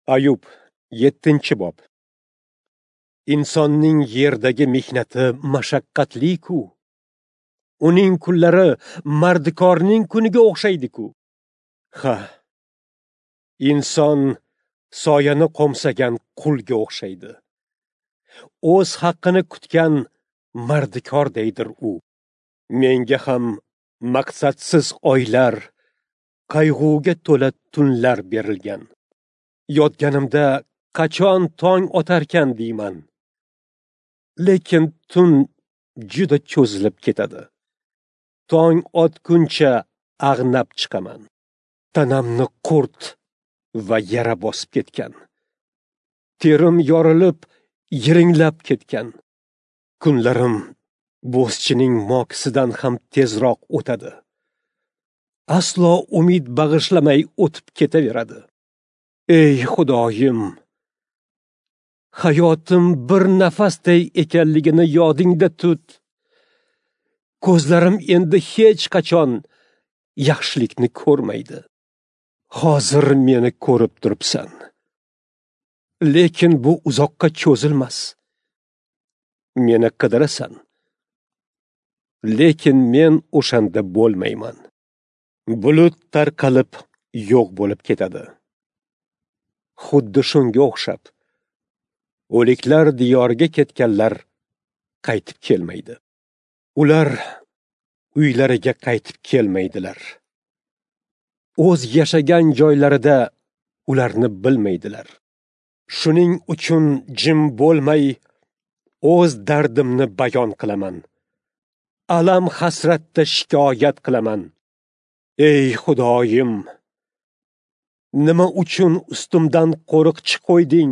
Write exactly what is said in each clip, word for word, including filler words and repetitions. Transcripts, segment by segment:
Ayub, yettinchi bob. Insonning yerdagi mehnati mashaqqatli-ku. Uning kunlari mardikorning kuniga o'xshaydi-ku. Ha, inson soyani qo'msagan qulga o'xshaydi. O'z haqqini kutgan mardikordaydir u. Menga ham maqsadsiz oylar, qayg'uga to'la tunlar berilgan. Yotganimda qachon tong otarkan deyman. Lekin tun juda cho'zilib ketadi. Tong otguncha ag'nab chiqaman. Tanamni qurt va yara bosib ketgan. Terim yorilib, yiringlab ketgan. Kunlarim bo'zchining mokisidan ham tezroq o'tadi. Aslo umid bag'ishlamay o'tib ketaveradi. Ey Xudoyim, hayotim bir nafasday ekanligini yodingda tut. Ko'zlarim endi hech qachon yaxshilikni ko'rmaydi. Hozir meni ko'rib turibsan. Lekin bu uzoqqa cho'zilmas. Meni qidirasan. Lekin men o'shanda bo'lmayman. Bulut tarqalib yo'q bo'lib ketadi. Xuddi shunga o'xshab, o'liklar diyoriga ketganlar qaytib kelmaydi. Ular uylariga qaytib kelmaydilar. O'z yashagan joylarida ularni bilmaydilar. Shuning uchun jim bo'lmay, o'z dardimni bayon qilaman. Alam hasratda shikoyat qilaman. Ey Xudoyim, nima uchun ustimdan qo'riqchi qo'yding?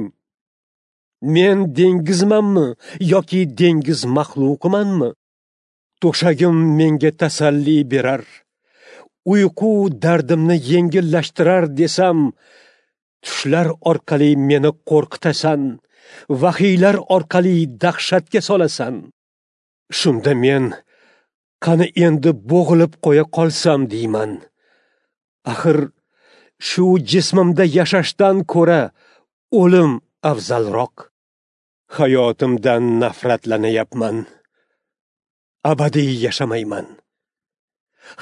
Men dengizmanmi yoki dengiz maxluqimanmi? To'shagim menga tasalli berar, uyqu dardimni yengillashtirar desam, tushlar orqali meni qo'rqitasan, vahiylar orqali dahshatga solasan. Shunda men qani endi bo'g'ilib qo'ya qolsam deyman. Axir shu jismimda yashashdan ko'ra o'lim afzalroq. Hayotimdan nafratlanyapman. Abadiy yashamayman.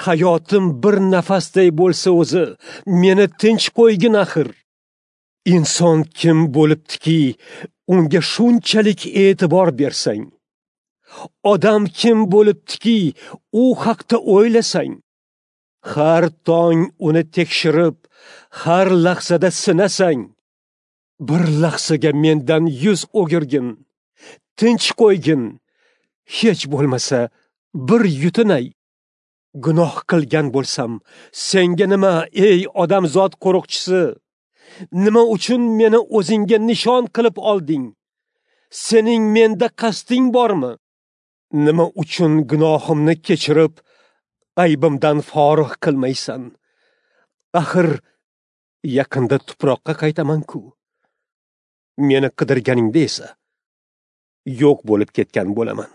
Hayotim bir nafasday bo'lsa o'zi, meni tinch qo'ygin axir. Inson kim bo'libdiki, unga shunchalik e'tibor bersang? Odam kim bo'libdiki, u haqda o'ylasang? Har tong uni tekshirib, har lahzada sinasang. Bir lahzaga mendan yuz o'girgin, tinch qo'ygin, hech bo'lmasa bir yutinay. Gunoh qilgan bo'lsam, senga nima, ey odamzod qo'riqchisi? Nima uchun meni o'zingga nishon qilib olding? Sening menda qasding bormi? Nima uchun gunohimni kechirib, aybimdan forig' qilmaysan? Axir yaqinda tuproqqa qaytaman-ku. Meni qidirganingda esa yo'q bo'lib ketgan bo'laman.